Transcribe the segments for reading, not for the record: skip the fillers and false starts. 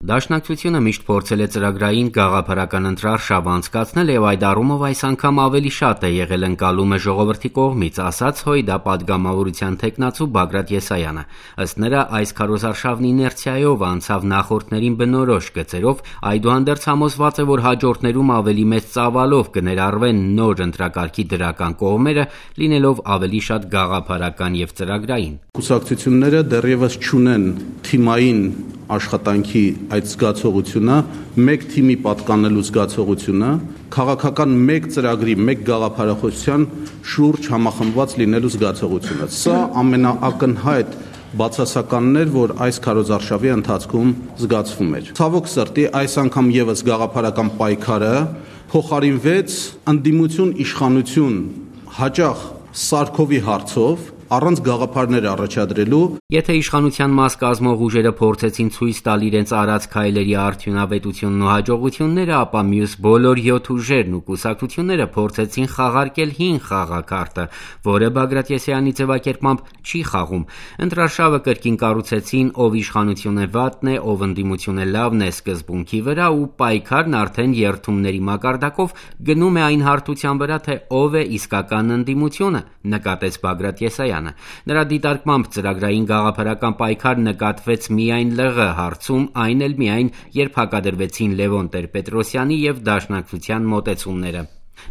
Դաշնակցությունը միշտ փորձել է ծրագրային գաղափարական ընտրարշավ անցկացնել եւ այդ առումով այս անգամ ավելի շատ է եղել ընկալումը ժողովրդի կողմից, ասաց ՀՅԴ պատգամավորության թեկնածու Բագրատ Եսայանը։ Ըստ նրա, այս քարոզարշավն իներցիայով անցավ նախորդներին բնորոշ գծերով, այդուհանդերձ համոզված է, որ հաջորդներում ավելի մեծ ծավալով կներառվեն նոր ընտրակարգի դրական կողմերը, լինելով ավելի շատ գաղափարական եւ ծրագրային։ Կուսակցությունները դեռևս չունեն թիմային աշխատանքի այդ զգացողությունը, մեկ թիմի պատկանելու զգացողությունը, քաղաքական մեկ ծրագրի, մեկ գաղափարախոսության շուրջ համախմբված լինելու զգացողությունը։ Սա ամենաակնհայտ բացասականն էր, որ այս քարոզարշավի ընթացքում զգացվում էր։ Ցավոք սրտի, այս անգամ եւս գաղափարական պայքարը փոխարինվեց ընդդիմություն իշխանություն հաճախ Սարքովի հարցով առանց գաղափարներ առաջադրելու։ Եթե իշխանության մաս կազմող ուժերը փորձեցին ցույց տալ իրենց արած քայլերի արդյունավետությունն ու հաջողությունները, ապա մյուս բոլոր 7 ուժերն ու կուսակցությունները փորձեցին խաղարկել հին խաղակարտը, որը Բագրատ Եսայանի ձևակերպմամբ չի խաղում։ Ընտրարշավը կրկին կառուցեցին ով իշխանությունը վատն է, ով ընդդիմությունը լավն է սկզբունքի վրա ու պայքարն արդեն երթումների մակարդակով գնում է այն հարթության վրա, թե ով է իսկական ընդդիմությունը, նկատեց Բագրատ Եսայանը։ Նրա դիտարկմամբ ծրագրային գաղափարական պայքար նկատվեց միայն ԼՂ հարցում, այն էլ միայն երբ հակադրվեցին Լևոն Տեր-Պետրոսյանի եւ Դաշնակցության մոտեցումները։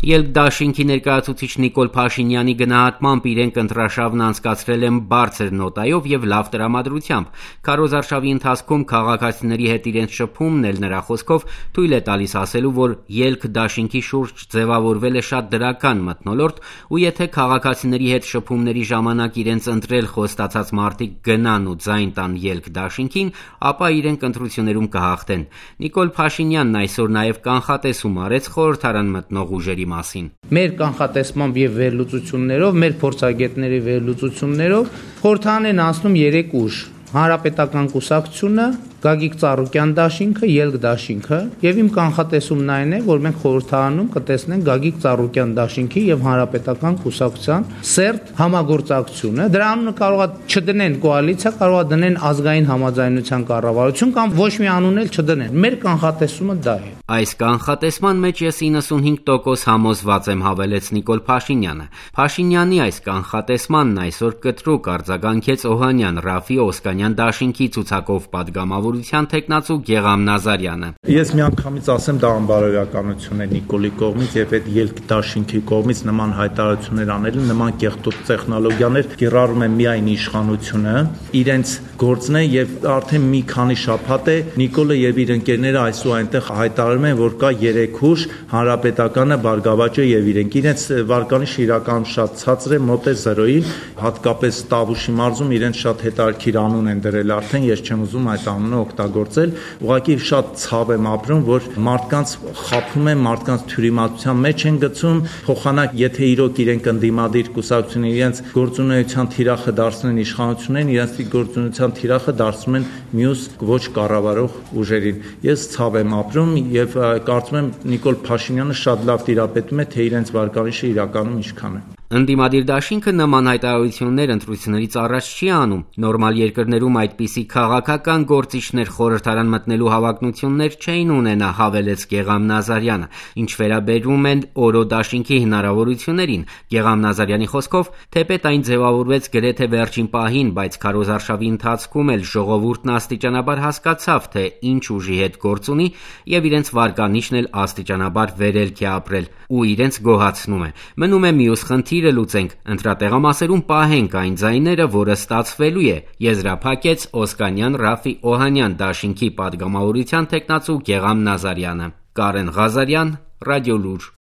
Ելք դաշինքի ներկայացուցիչ Նիկոլ Փաշինյանի գնահատմամբ իրենք ընտրարշավն անցկացրել են բարձր նոտայով եւ լավ տրամադրությամբ։ Քարոզարշավի ընթացքում քաղաքացիների հետ իրենց շփումն էլ նրա խոսքով թույլ է տալիս ասելու, որ ելք դաշինքի շուրջ ձևավորվել է շատ դրական մթնոլորտ, ու եթե քաղաքացիների հետ շփումների ժամանակ իրենց ընտրել խոստացած մարդիկ գնան ու ձայն տան ելք դաշինքին, ապա իրենք ընտրություններում կհաղթեն։ Նիկոլ Փաշինյանն այսօր նաեւ կանխատեսում արեց խորհրդարան մտնող ուժերի մասին։ Մեր կանխատեսմամբ եւ վերլուծություններով, մեր փորձագետների վերլուծություններով խորհրդարան են անցնում 3 ուժ. Հանրապետական կուսակցությունը, Գագիկ Ծառուկյան դաշինքը, Ելք դաշինքը, եւ իմ կանխատեսումն այն է, որ մենք խորհրդարանում կտեսնենք Գագիկ Ծառուկյան դաշինքի եւ Հանրապետական կուսակցության սերտ համագործակցությունը։ Դրա անունը կարող է չդնեն կոալիցիա, կարող է դնեն ազգային համաձայնության կառավարություն կամ ոչ մի անուն էլ չդնեն։ Մեր կանխատեսումը դա է։ Այս կանխատեսման մեջ ես 95% համոզված եմ, հավելեց Նիկոլ Փաշինյանը։ Փաշինյանի այս կանխատեսմանն այսօր կտրուկ արձագանքեց Օհանյան Ռաֆի Օսկանյան դաշինքի ցուցակով պատգամավորության թեկնածու Գեգամ Նազարյանը։ Ես միանգամից ասեմ, դա անբարոյականություն է Նիկոլի կողմից եւ այդ ելք դաշինքի կողմից նման հայտարարություններ անելը, նման կեղտոտ տեխնոլոգիաներ կիրառում են միայն իշխանությունը, իրենց գործն է եւ արդեն մի քանի շաբաթ է Նիկոլը եւ իր ընկերները այսօր այնտեղ հայտարարում են, որ կա 3 ուժ, Հանրապետականը, Բարգավաճը եւ իրենց վարկանիշը իրականում շատ ցածր է, մոտ է 0-ին, հատկապես Տավուշի մարզում իրենց շատ հետաքրքիր անուն են դրել արդեն, ես չեմ ուզում այդ անունը օգտագործել, ուղղակի շատ ցավ եմ ապրում, որ մարդկանց խափում են, մարդկանց թյուրիմացության մեջ են գցում, փոխանակ եթե իրոք իրենք ընդդիմադիր կուսակցությունն իրենց գործունեության թիրախը դարձնեն իշխանություններին, իրենց գործունեության թիրախը դարձնում են մյուս ոչ կառավարող ուժերին։ Ես ցավ եմ ապրում եւ կարծում եմ Նիկոլ Փաշինյանը շատ լավ տիրապետում է, թե իրենց վարկանիշը իրականում ինչքան է։ Ընդդիմադիր դաշինքը նման հայտարարություններ ընտրություններից առաջ չի անում։ Նորմալ երկրներում այդպիսի քաղաքական գործիչներ խորհրդարան մտնելու հավակնություններ չէին ունենա, հավելեց Գեգամ Նազարյանը։ Ինչ վերաբերում են օրո դաշինքի հնարավորություններին, Գեգամ Նազարյանի խոսքով, թեպետ այն ձևավորվեց գրեթե վերջին պահին, բայց քարոզարշավի ընթացքում էլ ժողովուրդն աստիճանաբար հասկացավ, թե ինչ ուժի հետ գործ ունի եւ իրենց վարկանիշն էլ աստիճանաբար վերելք է ապրել ու իրենց գոհացնում է։ Մնում է մյուս խնդիրը լուծենք, ընտրատեղամասերում պահենք այն ձայները, որը ստացվելու է, եզրափակեց Օսկանյան Ռաֆի Օհանյան դաշինքի պատգամավորության թեկնածու Գեգամ Նազարյանը։ Կարեն Ղազարյան, Ռադիոլուր։